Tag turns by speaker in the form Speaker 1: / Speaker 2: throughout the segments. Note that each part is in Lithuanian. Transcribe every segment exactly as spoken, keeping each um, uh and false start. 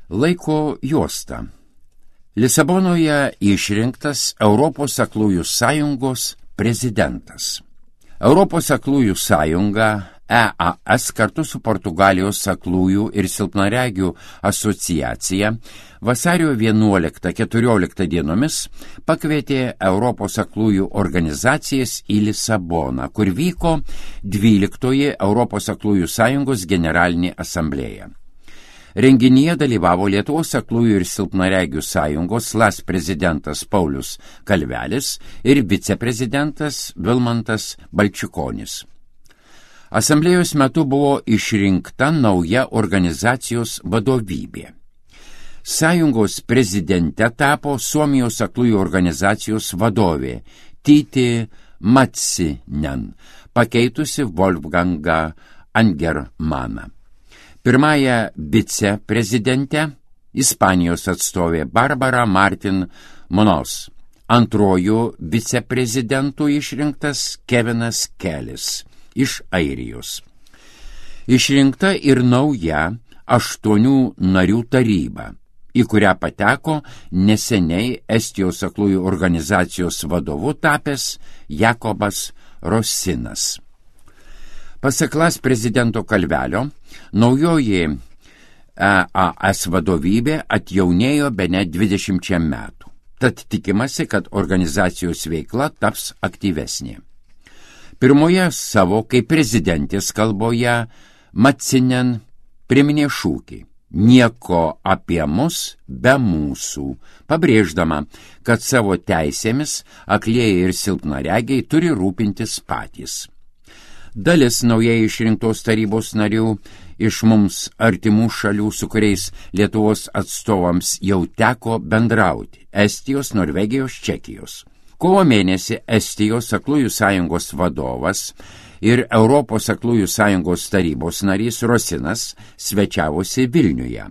Speaker 1: Laiko juosta. Lisabonoje išrinktas Europos aklųjų sąjungos prezidentas. Europos aklųjų sąjunga E A S kartu su Portugalijos aklųjų ir silpnaregių asociacija vasario vienuoliktą keturioliktą dienomis pakvietė Europos aklųjų organizacijas į Lisaboną, kur vyko dvyliktoji Europos aklųjų sąjungos generalinė asamblėja. Renginyje dalyvavo Lietuvos aklųjų ir silpnaregių sąjungos L A S prezidentas Paulius Kalvelis ir viceprezidentas Vilmantas Balčikonis. Asamblėjos metu buvo išrinkta nauja organizacijos vadovybė. Sąjungos prezidente tapo Suomijos aklųjų organizacijos vadovė Tyti Matsinen, pakeitusi Wolfgangą Angermaną. Pirmąją viceprezidentę Ispanijos atstovė Barbara Martin Munoz. Antrojų viceprezidentų išrinktas Kevinas Kelis iš Airijos. Išrinkta ir nauja aštuonių narių taryba, į kurią pateko neseniai Estijos aklųjų organizacijos vadovu tapęs Jakobas Rosinas. Pasak L A S prezidento Kalvelio, naujoji E A S vadovybė atjaunėjo bene dvidešimčia metų, tad tikimasi, kad organizacijos veikla taps aktyvesnė. Pirmoje savo kaip prezidentės kalboje Matsinen priminė šūkį "Nieko apie mus be mūsų", pabrėždama, kad savo teisėmis aklieji ir silpnaregiai turi rūpintis patys. Dalis naujai išrinktos tarybos narių iš mums artimų šalių, su kuriais Lietuvos atstovams jau teko bendrauti – Estijos, Norvegijos, Čekijos. Kovo mėnesį Estijos aklųjų sąjungos vadovas ir Europos aklųjų sąjungos tarybos narys Rosinas svečiavosi Vilniuje.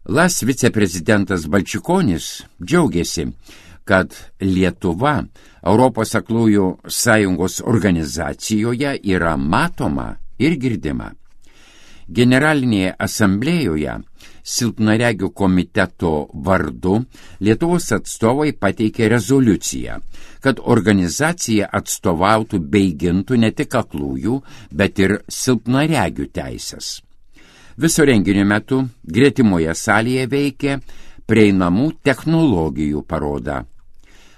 Speaker 1: L A S viceprezidentas Balčikonis džiaugiasi, kad Lietuva Europos aklųjų sąjungos organizacijoje yra matoma ir girdima. Generalinėje asamblėjoje silpnaregių komiteto vardu Lietuvos atstovai pateikė rezoliuciją, kad organizacija atstovautų bei gintų ne tik aklųjų, bet ir silpnaregių teisės. Viso renginio metu gretimoje salėje veikė prieinamų technologijų paroda.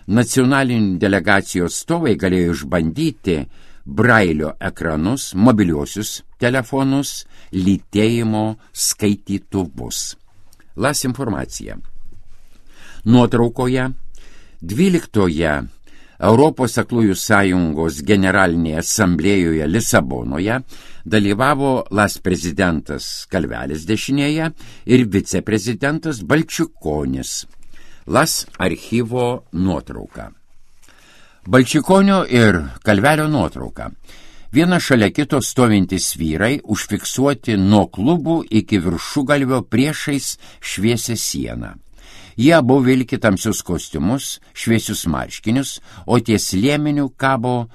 Speaker 1: Nacionalinių delegacijų atstovai galėjo išbandyti brailio ekranus, mobiliuosius telefonus, lytėjimo skaitytuvus. L A S informacija. Nuotraukoje dvyliktoje Europos aklųjų sąjungos generalinėje asamblėjoje Lisabonoje dalyvavo L A S prezidentas Kalvelis dešinėje ir viceprezidentas Balčikonis. L A S archyvo nuotrauka. Balčikonio ir Kalvelio nuotrauka. Viena šalia kito stovintys vyrai užfiksuoti nuo klubų iki viršugalvio priešais šviesią sieną. Jie abu vilki tamsius kostiumus, šviesius marškinius, o ties liemeniu kabo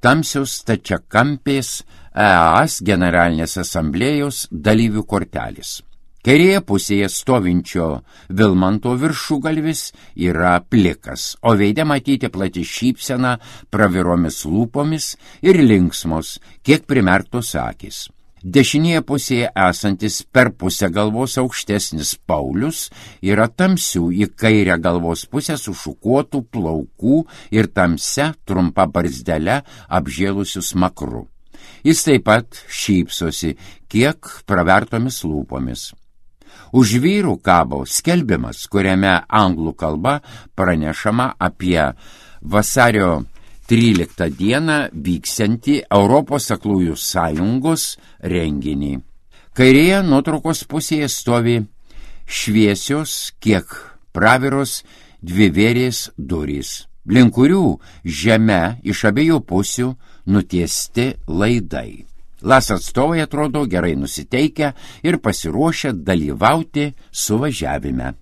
Speaker 1: tamsios stačiakampės E A S generalinės asamblėjos dalyvių kortelės. Kairėje pusėje stovinčio Vilmanto viršugalvis yra plikas, o veide matyti plati šypsena praviromis lūpomis ir linksmos, kiek primerktos akys. Dešinėje pusėje esantis per pusę galvos aukštesnis Paulius yra tamsių į kairę galvos pusę sušukuotų plaukų ir tamsia trumpa barzdele apžėlusių smakru. Jis taip pat šypsosi, kiek pravertomis lūpomis. Už vyrų kabo skelbimas, kuriame anglų kalba pranešama apie vasario tryliktą dieną vyksiantį Europos aklųjų sąjungos renginį. Kairėje nuotraukos pusėje stovi šviesios, kiek praviros dvivėrės durys, link kurių žeme iš abiejų pusių nutiesti laidai. L A S atstovai atrodo gerai nusiteikę ir pasiruošę dalyvauti suvažiavime.